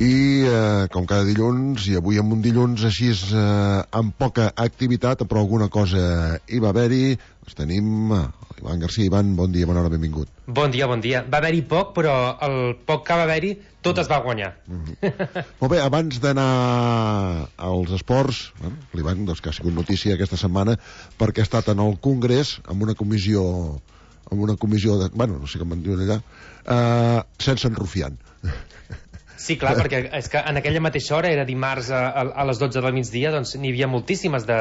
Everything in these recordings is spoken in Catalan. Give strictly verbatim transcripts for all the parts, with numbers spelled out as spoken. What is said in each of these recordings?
I eh, com cada dilluns, i avui amb un dilluns així eh, amb poca activitat, però alguna cosa hi va haver-hi, doncs tenim eh, Ivan Garcia. Ivan, bon dia, bona hora, benvingut. Bon dia, bon dia. Va haver-hi poc, però el poc que va haver-hi tot es va guanyar. Mm-hmm. Molt bé, abans d'anar als esports, bueno, l'Ivan, doncs, que ha sigut notícia aquesta setmana perquè ha estat en el Congrés amb una comissió amb una comissió de... bueno, no sé com en diuen allà, eh, sense enrufiant. Sí, clar, perquè és que en aquella mateixa hora, era dimarts a, a, a les dotze del migdia, doncs n'hi havia moltíssimes de,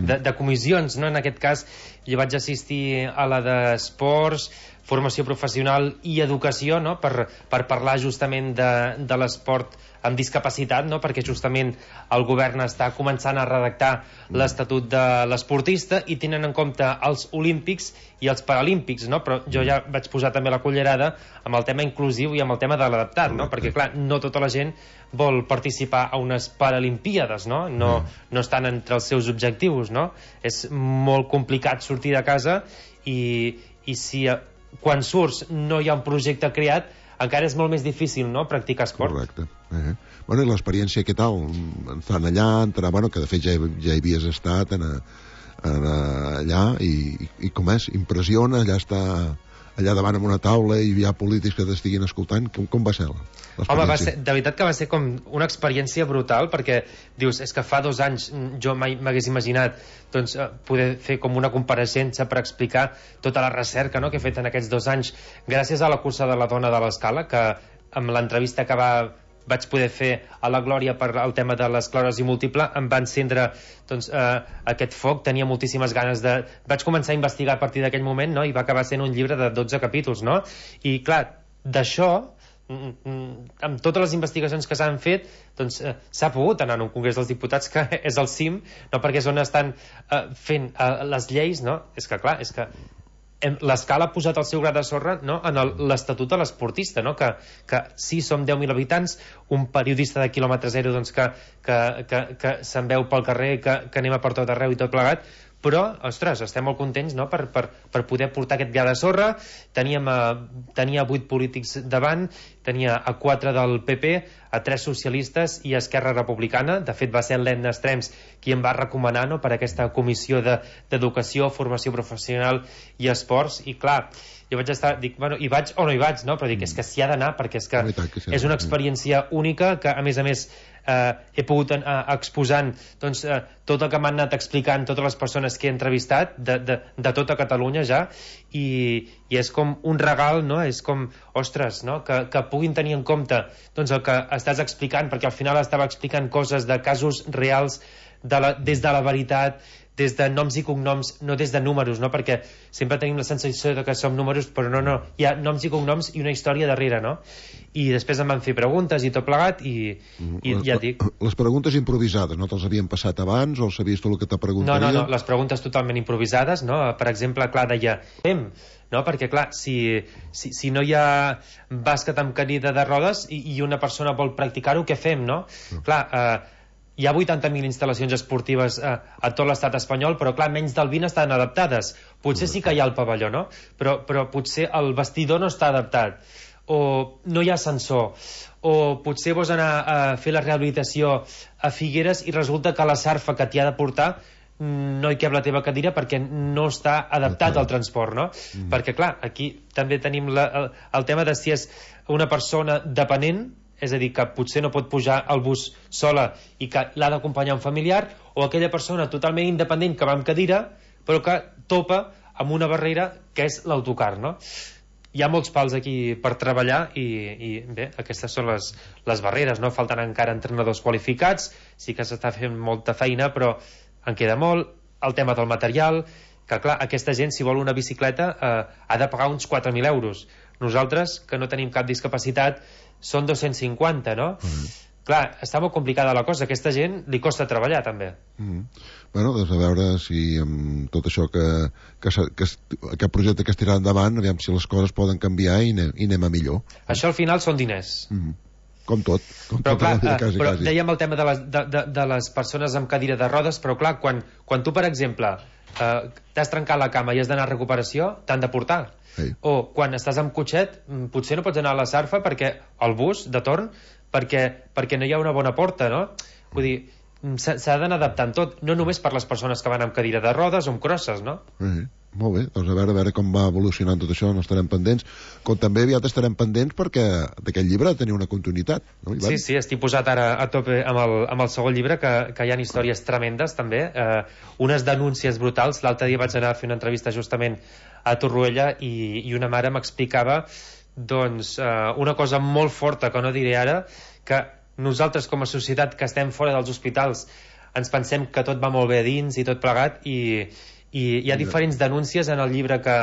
de, de comissions, no? En aquest cas, jo vaig assistir a la d'esports, formació professional i educació, no? per, per parlar justament de, de l'esport amb discapacitat, no? Perquè justament el govern està començant a redactar l'estatut de l'esportista i tenen en compte els olímpics i els paralímpics, no? Però jo ja vaig posar també la cullerada amb el tema inclusiu i amb el tema de l'adaptat, no? Perquè clar, no tota la gent vol participar a unes paralimpíades, no? No, no estan entre els seus objectius, no? És molt complicat sortir de casa i, i si quan surts no hi ha un projecte creat, encara és molt més difícil, no?, practicar esport. Correcte. Eh. Bueno, i l'experiència, què tal? Estan allà, entrar, bueno, que de fet ja, ja hi havies estat en, en, allà, i, i com és? Impressiona, allà està allà davant amb una taula i hi ha polítics que t'estiguin escoltant. Com, com va ser l'experiència? Home, va ser, de veritat que va ser com una experiència brutal, perquè dius, és que fa dos anys jo mai m'hagués imaginat doncs, poder fer com una compareixença per explicar tota la recerca, no?, que he fet en aquests dos anys gràcies a la cursa de la dona de l'Escala, que amb l'entrevista que va vaig poder fer a la Glòria per el tema de l'esclerosi múltiple, em va encendre doncs, eh, aquest foc, tenia moltíssimes ganes de... Vaig començar a investigar a partir d'aquell moment, no?, i va acabar sent un llibre de dotze capítols, no? I clar, d'això, amb totes les investigacions que s'han fet, doncs eh, s'ha pogut anar a un Congrés dels Diputats que és el cim, no?, perquè és on estan eh, fent eh, les lleis, no? És que clar, és que l'Escala ha posat el seu gra de sorra, no?, en l'estatut de l'esportista, no?, que, que sí, som deu mil habitants, un periodista de quilòmetre zero doncs, que, que, que, que se'n veu pel carrer, que, que anem a per tot arreu i tot plegat, però, ostres, estem molt contents, no?, per, per, per poder portar aquest gra de sorra. Teníem a, tenia vuit polítics davant, tenia a quatre del P P, a tres socialistes i a Esquerra Republicana. De fet, va ser l'Edna Estrems qui em va recomanar, no?, per aquesta comissió d'educació, de, formació professional i esports. I clar, jo vaig estar, dic, bueno, hi vaig o no hi vaig, no? Però dic, és que s'hi ha d'anar, perquè és que és una experiència única, que a més a més eh, he pogut eh, exposant doncs, eh, tot el que m'han anat explicant totes les persones que he entrevistat de, de, de tota Catalunya ja, i, i és com un regal, no? És com, ostres, no?, que, que puguin tenir en compte doncs, el que estàs explicant, perquè al final estava explicant coses de casos reals de la, des de la veritat, des de noms i cognoms, no des de números, no? Perquè sempre tenim la sensació de que som números, però no, no, hi ha noms i cognoms i una història darrere, no? I després em van fer preguntes i tot plegat i, i les, ja et dic. Les preguntes improvisades, no te'ls havien passat abans o sabies tot el que te preguntarien? No, no, no, les preguntes totalment improvisades, no? Per exemple, clar, deia, fem, no? Perquè clar, si, si, si no hi ha bàsquet amb cadira de rodes i, i una persona vol practicar-ho, què fem, no? Mm. Clar, eh, hi ha vuitanta mil instal·lacions esportives eh, a tot l'estat espanyol, però clar, menys del vint estan adaptades. Potser sí que hi ha el pavelló, no? Però, però potser el vestidor no està adaptat, o no hi ha ascensor, o potser vols anar a fer la rehabilitació a Figueres i resulta que la sarfa que t'hi ha de portar no hi cap la teva cadira perquè no està adaptat al transport, no? Mm. Perquè clar, aquí també tenim la, el, el tema de si és una persona dependent, és a dir, que potser no pot pujar al bus sola i que l'ha d'acompanyar un familiar, o aquella persona totalment independent que va amb cadira però que topa amb una barrera que és l'autocar, no? Hi ha molts pals aquí per treballar i, i bé, aquestes són les, les barreres, no? Falten encara entrenadors qualificats, sí que s'està fent molta feina, però en queda molt. El tema del material, que clar, aquesta gent si vol una bicicleta eh, ha de pagar uns quatre mil euros. Nosaltres, que no tenim cap discapacitat, són dos-cents cinquanta, no? Mm. Clar, està molt complicada la cosa. Aquesta gent li costa treballar, també. Mm. Bueno, doncs a veure si amb tot això que, que, que aquest projecte que es tirarà endavant, aviam si les coses poden canviar i anem, i anem a millor. Això al final són diners. Mm. Com tot. Com però tot clar, vida, quasi, però quasi. dèiem el tema de les, de, de, de les persones amb cadira de rodes, però clar, quan, quan tu, per exemple, eh, t'has trencat la cama i has d'anar a recuperació, t'han de portar. Hey. O quan estàs amb cotxet, potser no pots anar a la sarfa perquè el bus de torn perquè, perquè no hi ha una bona porta, no? Vull dir, s'ha d'anar adaptant tot, no només per les persones que van amb cadira de rodes o amb crosses, no? Sí, molt bé, doncs a veure, a veure com va evolucionant tot això, no estarem pendents, com també aviat estarem pendents perquè d'aquest llibre tenia una continuïtat, no, Ivan? Sí, sí, estic posat ara a tope amb el, amb el segon llibre, que, que hi ha històries tremendes també, eh, unes denúncies brutals. L'altre dia vaig anar a fer una entrevista justament a Torroella i, i una mare m'explicava doncs eh, una cosa molt forta que no diré ara, que nosaltres com a societat que estem fora dels hospitals ens pensem que tot va molt bé dins i tot plegat, i, i hi ha diferents denúncies en el llibre que,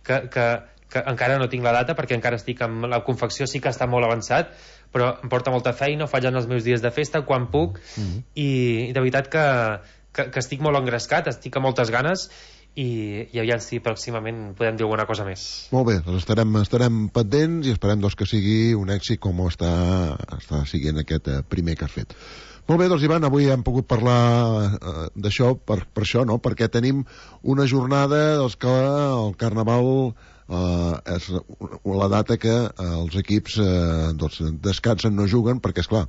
que, que, que encara no tinc la data perquè encara estic amb la confecció, sí que està molt avançat, però em porta molta feina, ho faig en els meus dies de festa quan puc, mm-hmm. i, i de veritat que, que, que estic molt engrescat, estic amb moltes ganes, i, i aviam si pròximament podem dir alguna cosa més. Molt bé, doncs estarem, estarem pendents i esperem doncs, que sigui un èxit com està, està siguent aquest eh, primer que has fet. Molt bé, doncs Ivan, avui hem pogut parlar eh, d'això per, per això, no? Perquè tenim una jornada doncs, que el Carnaval eh, és la data que eh, els equips eh, doncs, descansen, no juguen, perquè esclar,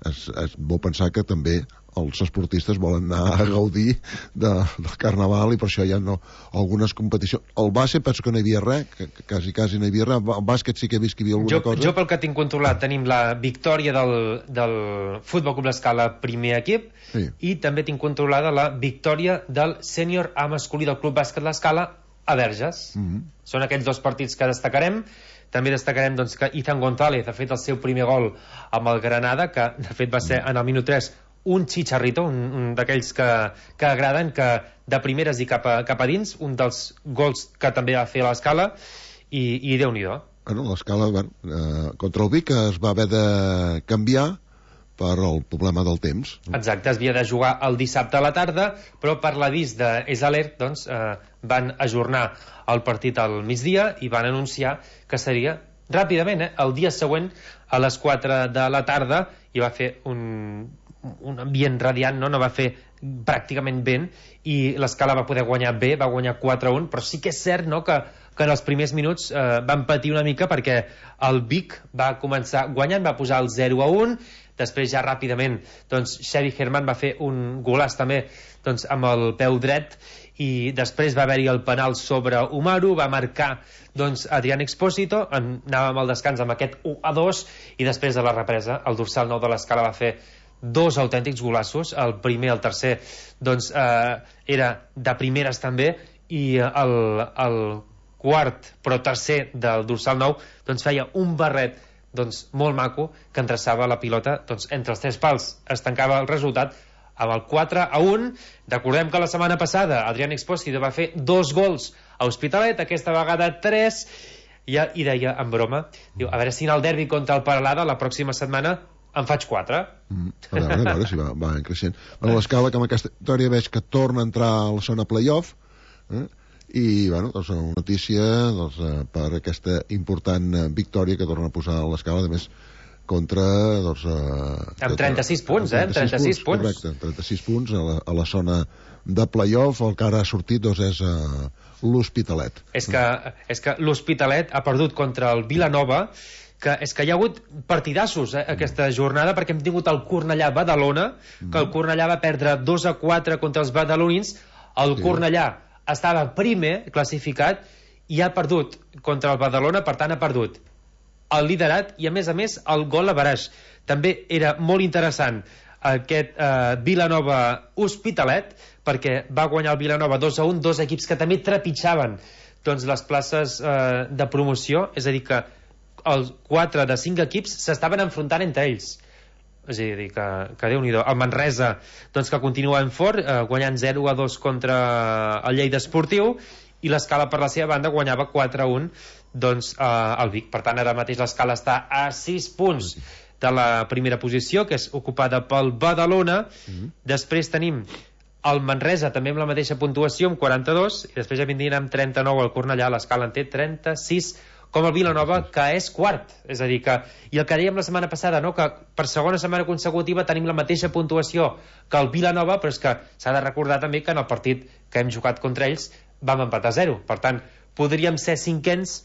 és, és bo pensar que també els esportistes volen anar a gaudir de, del Carnaval, i per això hi ha no, algunes competicions. El bàsquet penso que no hi havia res, que, que quasi, quasi no hi havia res. El bàsquet sí que he vist que hi havia alguna jo, cosa. Jo pel que tinc controlat tenim la victòria del, del Futbol Club L'Escala primer equip, sí. I també tinc controlada la victòria del sènior A masculí del Club Bàsquet L'Escala a Verges. Mm-hmm. Són aquells dos partits que destacarem. També destacarem doncs, que Ethan González ha fet el seu primer gol amb el Granada, que de fet va ser en el minut tres un xicharrito, un, un d'aquells que, que agraden, que de primeres i cap a, cap a dins, un dels gols que també va fer l'Escala, i, i Déu-n'hi-do. Bueno, l'Escala, bueno, eh, contra el Vic es va haver de canviar per el problema del temps. Exacte, es havia de jugar el dissabte a la tarda, però per l'avís d'Esalert doncs, eh, van ajornar el partit al migdia i van anunciar que seria ràpidament, eh, el dia següent a les quatre de la tarda, i va fer un un ambient radiant, no? No va fer pràcticament vent, i l'Escala va poder guanyar bé, va guanyar quatre a un, però sí que és cert, no?, que, que en els primers minuts eh, van patir una mica perquè el Vic va començar guanyant, va posar el zero a un, després ja ràpidament doncs Xavi Herman va fer un golaç també doncs, amb el peu dret, i després va haver-hi el penal sobre Umaru, va marcar doncs Adrián Expósito, anàvem al descans amb aquest u a dos, i després de la represa el dorsal nou de l'Escala va fer dos autèntics golassos, el primer, el tercer doncs eh, era de primeres també, i el, el quart però tercer del dorsal nou doncs feia un barret doncs molt maco que endreçava la pilota doncs entre els tres pals, es tancava el resultat amb el quatre a un. Recordem que la setmana passada Adrián Expósito va fer dos gols a Hospitalet, aquesta vegada tres, i, i deia en broma, diu, a veure si en el derbi contra el Peralada la pròxima setmana en faig quatre. Mm, a veure, a veure si va, va creixent. Bueno, l'Escala, que amb aquesta història veig que torna a entrar a la zona playoff, eh? I, bueno, doncs una notícia doncs, eh, per aquesta important eh, victòria que torna a posar l'Escala, a més, contra, doncs... Eh, amb trenta-sis punts, eh? Amb trenta-sis punts. Correcte, trenta-sis punts a la, a la zona de playoff. El que ara ha sortit, doncs, és eh, l'Hospitalet. És que, és que l'Hospitalet ha perdut contra el Vilanova, que és que hi ha hagut partidassos eh, aquesta jornada, perquè hem tingut el Cornellà-Badalona, que el Cornellà va perdre dos a quatre contra els badalonins, el sí. Cornellà estava primer classificat i ha perdut contra el Badalona, per tant ha perdut el liderat i a més a més el gol a baraix. També era molt interessant aquest eh, Vilanova-Hospitalet, perquè va guanyar el Vilanova dos a un, dos equips que també trepitjaven doncs, les places eh, de promoció, és a dir que els quatre de cinc equips s'estaven enfrontant entre ells, és a dir, que, que Déu-n'hi-do. El Manresa doncs, que continua en fort, eh, guanyant zero a dos contra el Lleida Esportiu, i l'Escala per la seva banda guanyava quatre a un doncs, eh, al Vic. Per tant, ara mateix l'Escala està a sis punts de la primera posició, que és ocupada pel Badalona. Mm-hmm. Després tenim el Manresa també amb la mateixa puntuació, amb quaranta-dos, i després ja vindrien amb trenta-nou el Cornellà. L'Escala en té trenta-sis, com el Vilanova, que és quart. És a dir que, i el que dèiem la setmana passada, no? Que per segona setmana consecutiva tenim la mateixa puntuació que el Vilanova, però és que s'ha de recordar també que en el partit que hem jugat contra ells vam empatar a zero. Per tant, podríem ser cinquens,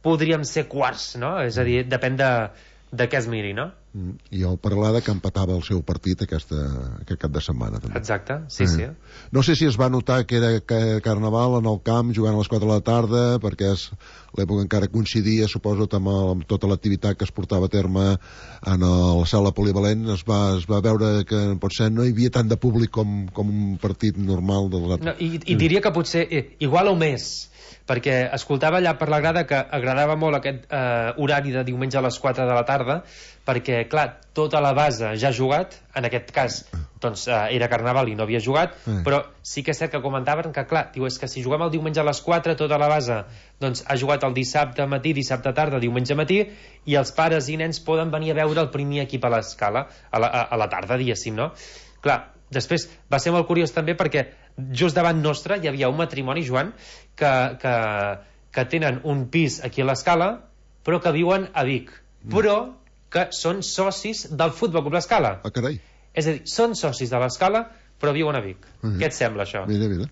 podríem ser quarts, no? És a dir, depèn de, de què es miri, no? Mm. I el Peralada, que empatava el seu partit aquesta, aquest cap de setmana també. Exacte, sí, eh. sí. No sé si es va notar que era Carnaval en el camp jugant a les quatre de la tarda, perquè és l'època encara coincidia, suposo, amb, el, amb tota l'activitat que es portava a terme en el, la sala polivalent. Es va, es va veure que potser no hi havia tant de públic com, com un partit normal dels altres. No, i, i diria que potser eh, igual o més, perquè escoltava allà per la grada que agradava molt aquest eh, horari de diumenge a les quatre de la tarda, perquè, clar, tota la base ja ha jugat, en aquest cas doncs, eh, era Carnaval i no havia jugat, mm. però sí que és cert que comentaven que, clar, diu, és que si juguem el diumenge a les quatre, tota la base doncs, ha jugat el dissabte matí, dissabte tarda, diumenge matí, i els pares i nens poden venir a veure el primer equip a l'escala, a, la, a, a la tarda, diguéssim, no? Clar, després va ser molt curiós també perquè just davant nostre hi havia un matrimoni, Joan, que, que, que tenen un pis aquí a l'Escala, però que viuen a Vic, mm. però que són socis del Futbol Club L'Escala. Ah, carai. És a dir, són socis de l'Escala, però viuen a Vic. Mm. Què et sembla, això? Mira, mira.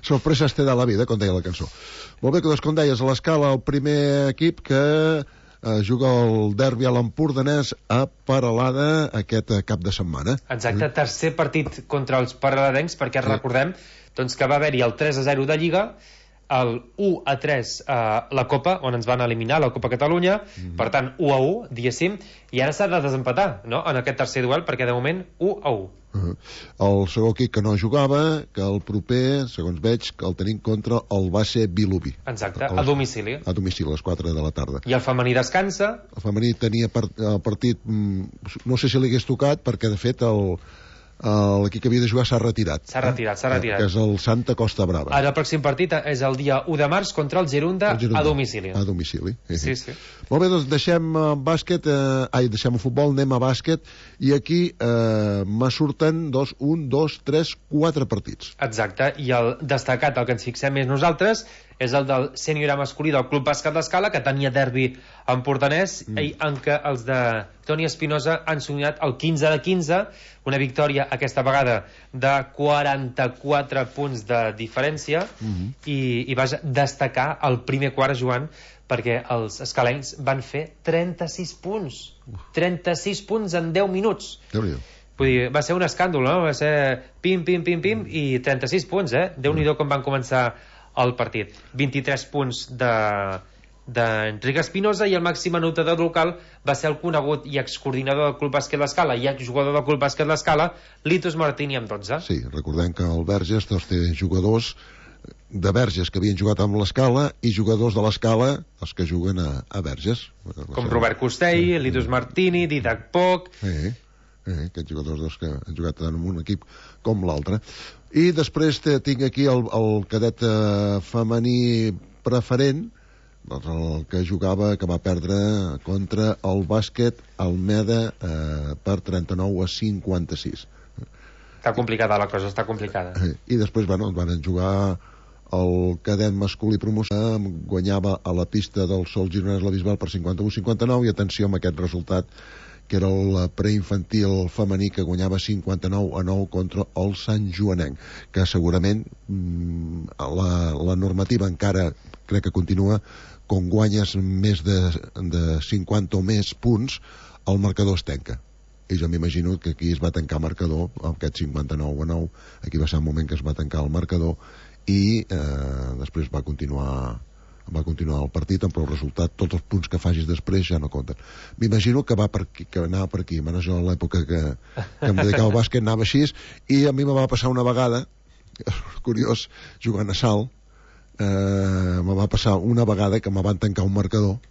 Sorpreses te da la vida, com deia la cançó. Molt bé, doncs, com deies, a l'Escala el primer equip que eh, juga el derbi a l'Empordanès a Peralada aquest cap de setmana. Exacte, mm. tercer partit contra els paraladencs, perquè mm. recordem doncs, que va haver-hi el tres a zero de Lliga, el u a tres a uh, la Copa, on ens van eliminar la Copa Catalunya, mm-hmm. per tant u a u, diguéssim, i ara s'ha de desempatar, no?, en aquest tercer duel, perquè de moment u a u. Uh-huh. El segon equip que no jugava, que el proper, segons veig, que el tenim contra el base Vilobí. Exacte, a, a domicili. A domicili, a les quatre de la tarda. I el femení descansa. El femení tenia part, el partit, no sé si li hagués tocat, perquè de fet el l'equip que havia de jugar s'ha retirat. S'ha retirat, s'ha retirat. Que és el Santa Costa Brava. Ara el pròxim partit és el dia u de març contra el Gerunda, el Gerunda a domicili. A domicili. Sí, sí. Molt bé, doncs deixem bàsquet, eh, ai, deixem el futbol, anem a bàsquet, i aquí eh, me surten dos, un, dos, tres, quatre partits. Exacte, i el destacat, el que ens fixem més nosaltres, és el del sènior A masculí del Club Bàsquet l'Escala, que tenia derbi empordanès, mm. en què els de Toni Espinosa han somiat el quinze de quinze, una victòria aquesta vegada de quaranta-quatre punts de diferència, mm-hmm. i, i vaja, destacar el primer quart, Joan, perquè els escalencs van fer trenta-sis punts. trenta-sis punts en deu minuts. Déu-n'hi-do. Vull dir, va ser un escàndol, no? Va ser pim, pim, pim, pim, i trenta-sis punts, eh? Déu-n'hi-do com van començar el partit. vint-i-tres punts de d'Enric Espinosa, i el màxim anotador local va ser el conegut i excoordinador del Club Bàsquet l'Escala i exjugador del Club Bàsquet l'Escala, Litos Martini, amb dotze. Sí, recordem que el Verges doncs, té jugadors de Verges que havien jugat amb l'Escala i jugadors de l'Escala els que juguen a, a Verges, com Robert Costell, sí. Litos Martini, Didac Poc. Sí, sí, aquests jugadors doncs, que han jugat tant en un equip com l'altre. I després tinc aquí el, el cadet eh, femení preferent, doncs el que jugava, que va perdre contra el bàsquet Almeda eh, per trenta-nou a cinquanta-sis. Està complicada la cosa, està complicada. I després, bueno, van jugar el cadet masculí promoció, guanyava a la pista del Sol Gironès la Bisbal per cinquanta-u a cinquanta-nou, i atenció amb aquest resultat, que era el preinfantil femení, que guanyava cinquanta-nou a nou contra el Sant Joanenc, que segurament mmm, la, la normativa encara crec que continua, com guanyes més de, de cinquanta o més punts, el marcador es tanca. I jo m'imagino que aquí es va tancar el marcador, amb aquest cinquanta-nou a nou, aquí va ser el moment que es va tancar el marcador, i eh, després va continuar va continuar el partit, però el resultat, tots els punts que facis després ja no compten. M'imagino que va per aquí, que anava per aquí. Bueno, jo a l'època que, que em dedicava al bàsquet anava així, i a mi me va passar una vegada, curiós, jugant a Salt, eh, me va passar una vegada que me van tancar un marcador,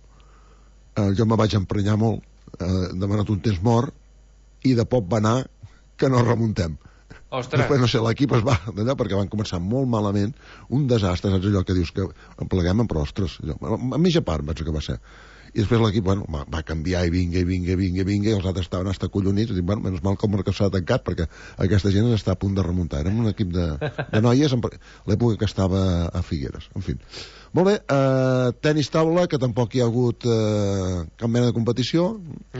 eh, jo me vaig emprenyar molt, eh, demanat un temps mort, i de poc va anar que no remuntem. Ostres. Després, no sé, l'equip es va d'allà perquè van començar molt malament, un desastre, saps allò que dius que en pleguem, però ostres, allò, a mitja part vaig que va ser. I després l'equip, bueno, va, va canviar i vinga, i vinga, i vinga, i vinga, i els altres estaven hasta collonits, i dic, bueno, menys mal que el marcador s'ha tancat, perquè aquesta gent està a punt de remuntar. Érem un equip de, de noies, en l'època que estava a Figueres, en fi. Molt bé, eh, tenis taula, que tampoc hi ha hagut eh, cap mena de competició.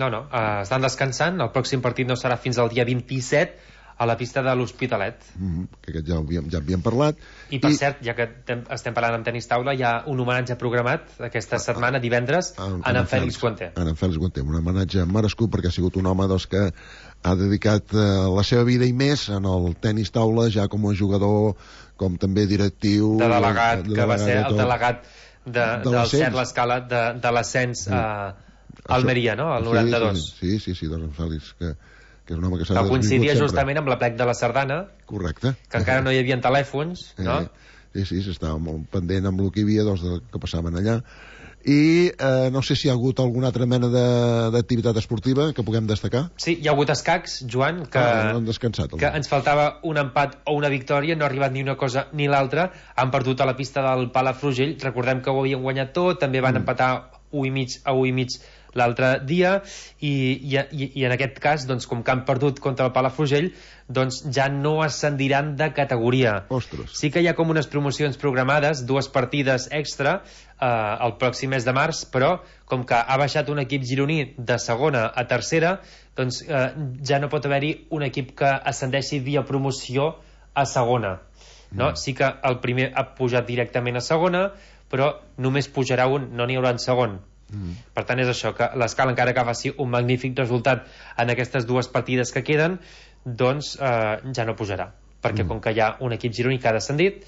No, no, eh, estan descansant, el pròxim partit no serà fins al dia vint-i-set, a la pista de l'Hospitalet. Mm-hmm, que aquest ja havíem, ja havíem parlat. I per I... cert, ja que estem parlant amb tenis taula, hi ha un homenatge programat aquesta setmana, divendres, a, a, a en Fèlix Guanter. A en Fèlix Guanter, un homenatge merescut perquè ha sigut un home doncs, que ha dedicat eh, la seva vida i més en el tenis taula, ja com a jugador, com també directiu... De delegat, de, de que va ser el delegat de, de del Cert l'Escala de, de l'ascens sí. a Almeria, no? Al noranta-dos. Sí, sí, sí, sí, doncs en Fèlix, que que és un home que s'ha que coincidia justament amb la plec de la Sardana. Correcte. Que encara no hi havia telèfons, no? Eh, sí, sí, s'estava molt pendent amb el que hi havia doncs, que passaven allà. I eh, no sé si hi ha hagut alguna altra mena d'activitat esportiva que puguem destacar. Sí, hi ha hagut escacs, Joan, que, ah, no han descansat, que ens faltava un empat o una victòria, no ha arribat ni una cosa ni l'altra, han perdut a la pista del Palafrugell, recordem que ho havien guanyat tot, també van mm. empatar u i mig a u i mig l'altre dia i, i, i en aquest cas doncs, com que han perdut contra el Palafrugell doncs ja no ascendiran de categoria. Ostres. Sí que hi ha com unes promocions programades, dues partides extra eh, el pròxim mes de març, però com que ha baixat un equip gironí de segona a tercera, doncs eh, ja no pot haver-hi un equip que ascendeixi via promoció a segona, no? Mm. Sí que el primer ha pujat directament a segona, però només pujarà un, no n'hi haurà en segon. Mm. Per tant és això, que l'Escala encara que faci un magnífic resultat en aquestes dues partides que queden, doncs eh, ja no pujarà, perquè mm. com que hi ha un equip gironí que ha descendit,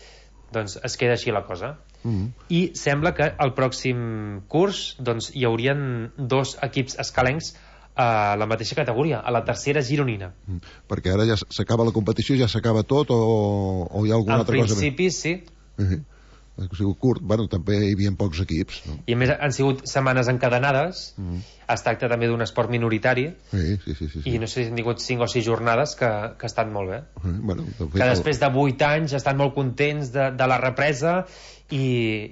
doncs es queda així la cosa. Mm. I sembla que el pròxim curs doncs hi haurien dos equips escalencs a la mateixa categoria, a la tercera gironina. Mm. Perquè ara ja s'acaba la competició, ja s'acaba tot o, o hi ha alguna en altra cosa més? En principi sí. Uh-huh. Ha sigut curt, bueno, també hi havia pocs equips, no? I a més han sigut setmanes encadenades, mm. es tracta també d'un esport minoritari, sí, sí, sí, sí, sí. I no sé si han tingut cinc o sis jornades que, que estan molt bé. Mm, bueno, de fet, que després de vuit anys estan molt contents de, de la represa i,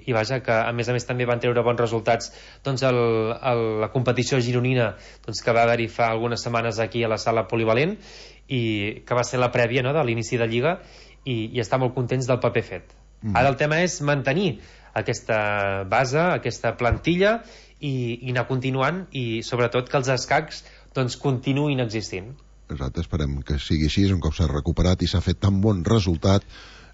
i vaja, que a més a més també van treure bons resultats doncs el, el, la competició gironina doncs, que va haver-hi fa algunes setmanes aquí a la sala polivalent i que va ser la prèvia, no?, de l'inici de Lliga i, i estar molt contents del paper fet. Mm. Ara el tema és mantenir aquesta base, aquesta plantilla i, i anar continuant i sobretot que els escacs doncs continuïn existint. Exacte, esperem que sigui així, un cop s'ha recuperat i s'ha fet tan bon resultat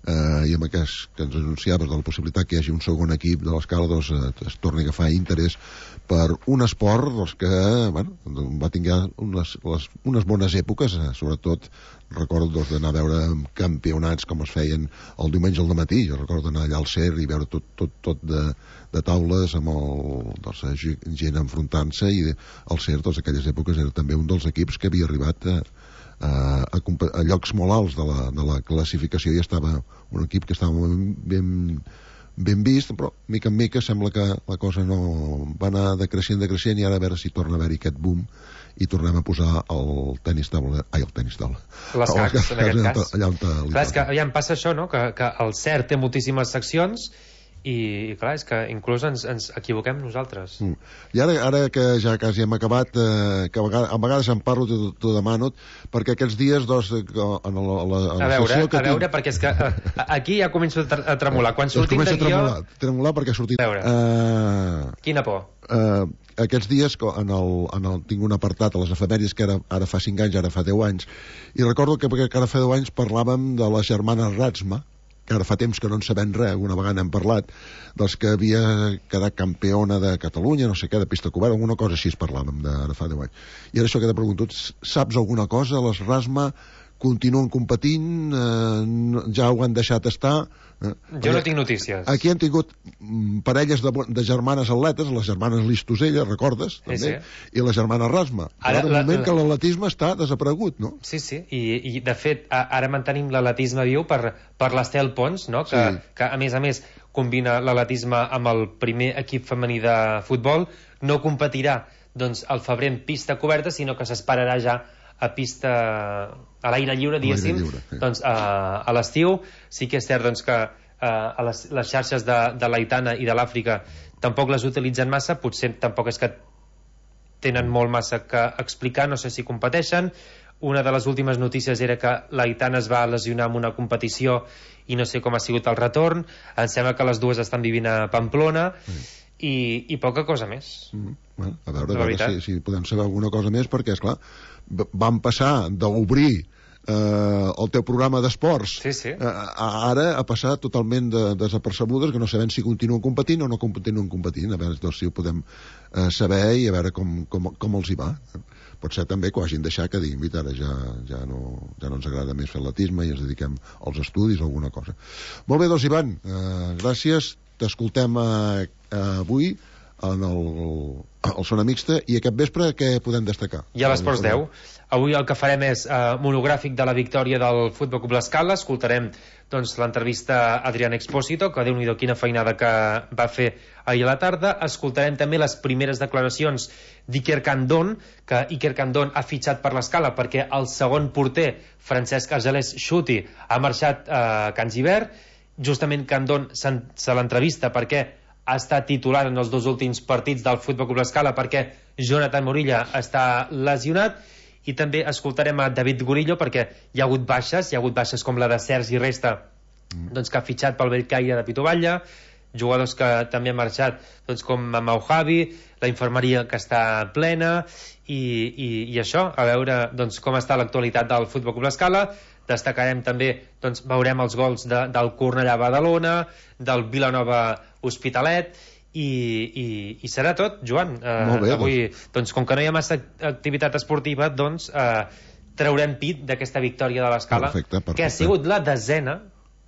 eh, i amb aquest que ens anunciaves de la possibilitat que hi hagi un segon equip de l'Escala doncs, eh, es torni a agafar interès per un esport doncs, que bueno, va tinguer unes, les, unes bones èpoques, eh, sobretot recordo doncs, d'anar a veure campionats com es feien el diumenge al matí. Jo recordo d'anar allà al Cer i veure tot, tot, tot de, de taules amb el, doncs, gent enfrontant-se i el Cer, doncs, aquelles èpoques era també un dels equips que havia arribat a, a, a, a llocs molt alts de la, de la classificació i estava un equip que estava ben, ben vist, però mica en mica sembla que la cosa no va anar decreixent, decreixent i ara a veure si torna a haver-hi aquest boom i tornem a posar el tenis taula, ai, el tenis taula les cacs, en aquest cas allà on clar, és que aviam, passa això, no? que, que el Cert té moltíssimes seccions i, i clar, és que inclús ens, ens equivoquem nosaltres. Mm. I ara, ara que ja quasi hem acabat, eh, que a vegades, a vegades em parlo, t'ho demano, perquè aquests dies, doncs, en la, la, la, a veure, que a veure, tinc... perquè és que eh, aquí ja començo a tremolar. Quan sortim de guió... Tremolar, tremolar perquè ha sortit... A veure, uh, quina por. Uh, aquests dies en el, en el, tinc un apartat a les efemèries que ara, ara fa cinc anys, ara fa deu anys, i recordo que, que ara fa deu anys parlàvem de les germanes Ratsma, que ara fa temps que no en sabem res, una vegada hem parlat, dels que havia quedat campiona de Catalunya, no sé què, de pista coberta, alguna cosa així es parlàvem de, ara fa deu anys. I ara això que t'he preguntat, saps alguna cosa? Les Rasma continuen competint, eh, ja ho han deixat estar... Eh? Jo no tinc notícies. Aquí han tingut mm, parelles de, de germanes atletes, les germanes Listosella, recordes? Sí, també? Sí. I la germana Rasma. Ara, de moment la, que l'atletisme està desaparegut, no? Sí, sí, i, i de fet ara mantenim l'atletisme viu per, per l'Estel Pons, no? que, sí. que a més a més combina l'atletisme amb el primer equip femení de futbol, no competirà doncs, al febrer en pista coberta, sinó que s'esperarà ja a pista a l'aire lliure, diguéssim, lliure, sí. doncs a, a l'estiu. Sí que és cert doncs, que uh, a les, les xarxes de, de l'Aitana i de l'Àfrica tampoc les utilitzen massa, potser tampoc és que tenen molt massa que explicar, no sé si competeixen. Una de les últimes notícies era que l'Aitana es va lesionar en una competició i no sé com ha sigut el retorn. Em sembla que les dues estan vivint a Pamplona. Mm. I, i poca cosa més. Mm, bueno, a veure, a veure si, si podem saber alguna cosa més, perquè, esclar, van passar d'obrir eh, el teu programa d'esports sí, sí. Eh, ara ha passat totalment de, desapercebudes, que no sabem si continuen competint o no continuen competint. A veure doncs, si ho podem eh, saber i a veure com, com, com els hi va. Pot ser també que ho hagin deixat, que diguin, mira, ara ja, ja, no, ja no ens agrada més fer atletisme i ens dediquem als estudis o alguna cosa. Molt bé, doncs, Ivan, eh, gràcies. T'escoltem eh, avui en el, el Zona Mixta, i aquest vespre què podem destacar? I a l'Esports deu. Avui el que farem és eh, monogràfic de la victòria del Futbol Club L'Escala. Escoltarem doncs, l'entrevista a Adrián Expósito, que Déu-n'hi-do quina feinada que va fer ahir a la tarda. Escoltarem també les primeres declaracions d'Iker Candón, que Iker Candón ha fitxat per l'Escala perquè el segon porter, Francesc Argelès Xuti, ha marxat a Can Gibert. Justament Candón se l'entrevista perquè ha estat titular en els dos últims partits del Futbol Club L'Escala, perquè Jonathan Morilla està lesionat. I també escoltarem a David Gorillo perquè hi ha hagut baixes, hi ha hagut baixes com la de Sergi Resta, doncs, que ha fitxat pel Bellcaire de Pitovalla, jugadors que també han marxat, doncs, com Maujavi, la infermeria que està plena, i, i, i això, a veure doncs, com està l'actualitat del Futbol Club L'Escala. Destacarem també, doncs, veurem els gols de, del Cornellà Badalona, del Vilanova Hospitalet, i, i, i serà tot, Joan. Eh, bé, avui, doncs, com que no hi ha massa activitat esportiva, doncs eh, traurem pit d'aquesta victòria de l'Escala, perfecte, perfecte. que ha sigut la desena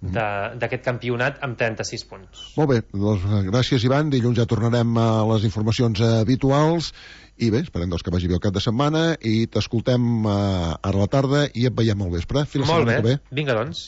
d'aquest campionat amb trenta-sis punts. Molt bé, doncs gràcies, Ivan. Dilluns ja tornarem a les informacions habituals i bé, esperem doncs, que vagi bé el cap de setmana i t'escoltem uh, ara a la tarda i et veiem al vespre. Fins la setmana que ve. Vinga, doncs.